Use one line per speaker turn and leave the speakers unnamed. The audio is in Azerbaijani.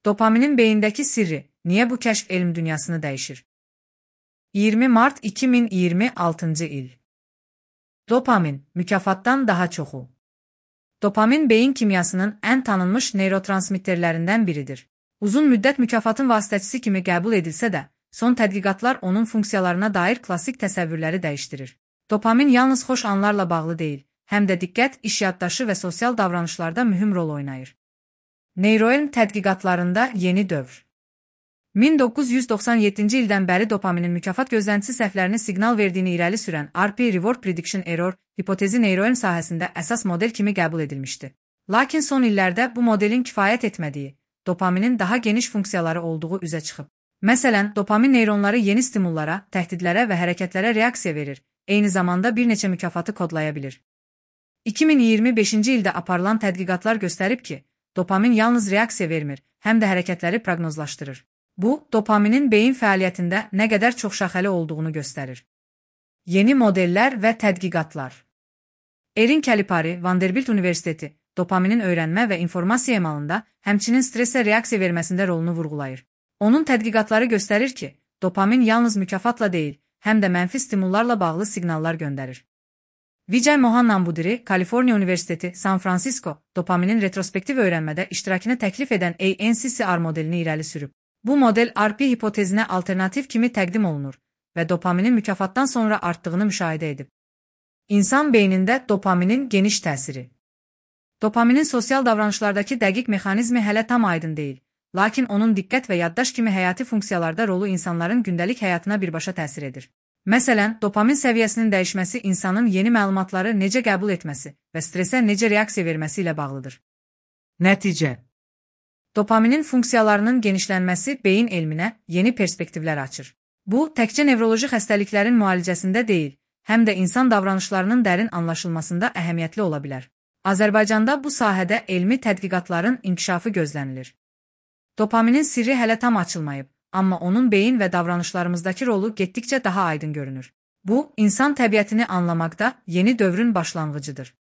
Dopaminin beyindeki sirri, niye bu kəşf elm dünyasını dəyişir? 20 Mart 2026 il. Dopamin, mükafatdan daha çoxu. Dopamin beyin kimyasının ən tanınmış neyrotransmitterlərindən biridir. Uzun müddət mükafatın vasitəçisi kimi qəbul edilsə də, son tədqiqatlar onun funksiyalarına dair klassik təsəvvürləri dəyişdirir. Dopamin yalnız xoş anlarla bağlı deyil, həm də diqqət, iş yaddaşı və sosial davranışlarda mühüm rol oynayır. Neyroelm tədqiqatlarında yeni dövr. 1997-ci ildən bəri dopaminin mükafat gözləntisi səhvlərini siqnal verdiyini irəli sürən RP Reward Prediction Error hipotezi neyroelm sahəsində əsas model kimi qəbul edilmişdi. Lakin son illərdə bu modelin kifayət etmədiyi, dopaminin daha geniş funksiyaları olduğu üzə çıxıb. Məsələn, dopamin neyronları yeni stimullara, təhdidlərə və hərəkətlərə reaksiya verir, eyni zamanda bir neçə mükafatı kodlaya bilir. 2025-ci ildə aparılan tədqiqatlar göstərib ki, dopamin yalnız reaksiya vermir, həm də hərəkətləri proqnozlaşdırır. Bu, dopaminin beyin fəaliyyətində nə qədər çoxşaxəli olduğunu göstərir. Yeni modellər və tədqiqatlar. Erin Kalipari, Vanderbilt Universiteti, dopaminin öyrənmə və informasiya emalında, həmçinin stressə reaksiya verməsində rolunu vurğulayır. Onun tədqiqatları göstərir ki, dopamin yalnız mükafatla deyil, həm də mənfi stimullarla bağlı siqnallar göndərir. Vijay Mohan Nambudiri, Kaliforniya Universiteti, San Francisco, dopaminin retrospektiv öyrənmədə iştirakını təklif edən ANCCR modelini irəli sürüb. Bu model RP hipotezinə alternativ kimi təqdim olunur və dopaminin mükafatdan sonra artdığını müşahidə edib. İnsan beynində dopaminin geniş təsiri. Dopaminin sosial davranışlardakı dəqiq mexanizmi hələ tam aydın deyil, lakin onun diqqət və yaddaş kimi həyati funksiyalarda rolu insanların gündəlik həyatına birbaşa təsir edir. Məsələn, dopamin səviyyəsinin dəyişməsi insanın yeni məlumatları necə qəbul etməsi və stresə necə reaksiya verməsi ilə bağlıdır. Nəticə. Dopaminin funksiyalarının genişlənməsi beyin elminə yeni perspektivlər açır. Bu, təkcə nevroloji xəstəliklərin müalicəsində deyil, həm də insan davranışlarının dərin anlaşılmasında əhəmiyyətli ola bilər. Azərbaycanda bu sahədə elmi tədqiqatların inkişafı gözlənilir. Dopaminin sirri hələ tam açılmayıb, amma onun beyin və davranışlarımızdakı rolu getdikcə daha aydın görünür. Bu, insan təbiətini anlamaqda yeni dövrün başlanğıcıdır.